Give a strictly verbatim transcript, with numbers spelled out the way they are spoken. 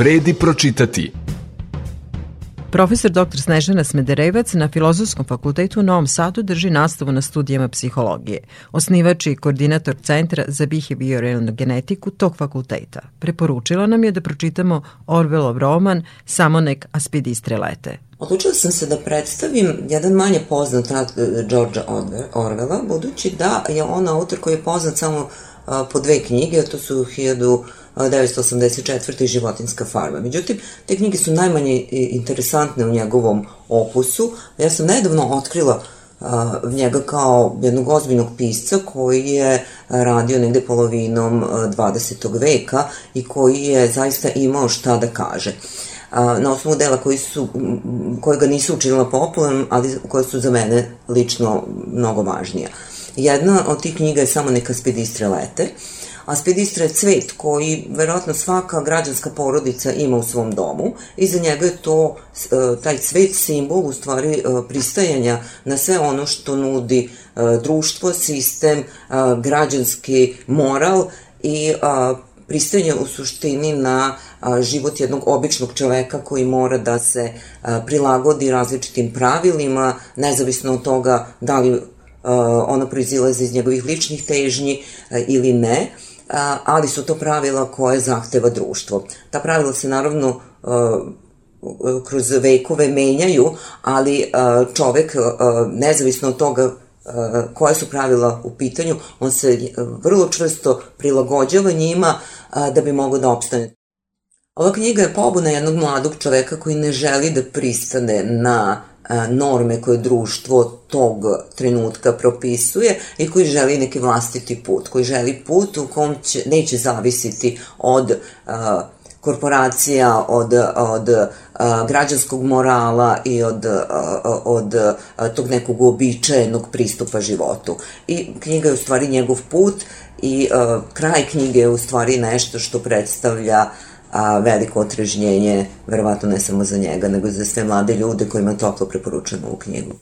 vredi pročitati. Profesor doktor Snežana Smederevac na Filozofskom fakultetu u Novom Sadu drži nastavu na studijama psihologije. Osnivač i koordinator Centra za behavioralnu genetiku tog fakulteta. Preporučila nam je da pročitamo Orwellov roman Samo nek aspidistre lete. Odlučila sam se da predstavim jedan manje poznat rad Georgea Orwella, budući da je on autor koji je poznat samo po dve knjige, a to su hiljadu devetsto osamdeset četvrte. i Životinjska farma. Međutim, te knjige su najmanje interesantne u njegovom opusu. Ja sam nedavno otkrila njega kao jednog ozbiljnog pisca koji je radio negde polovinom dvadesetog veka i koji je zaista imao šta da kaže. Na osnovu dela koji su, koje ga nisu učinila popularnom, ali koje su za mene lično mnogo važnija. Jedna od tih knjiga je Samo neka aspidistre lete. Aspidistra je cvet koji verovatno svaka građanska porodica ima u svom domu i za njega je to, taj cvet simbol u stvari pristajanja na sve ono što nudi društvo, sistem, građanski moral i pristajanje u suštini na život jednog običnog čoveka koji mora da se prilagodi različitim pravilima, nezavisno od toga da li ono proizilaze iz njegovih ličnih težnji ili ne, ali su to pravila koje zahteva društvo. Ta pravila se naravno kroz vekove menjaju, ali čovek, nezavisno od toga koje su pravila u pitanju, on se vrlo čvrsto prilagođava njima da bi mogao da opstane. Ova knjiga je pobuna jednog mladog čoveka koji ne želi da pristane na norme koje društvo tog trenutka propisuje i koji želi neki vlastiti put, koji želi put u kom će, neće zavisiti od a, korporacija, od, od a, građanskog morala i od, a, od a, tog nekog uobičajenog pristupa životu. I knjiga je u stvari njegov put i a, kraj knjige je u stvari nešto što predstavlja a veliko otrežnjenje, verovatno ne samo za njega, nego za sve mlade ljude kojima toplo preporučujemo ovu knjigu.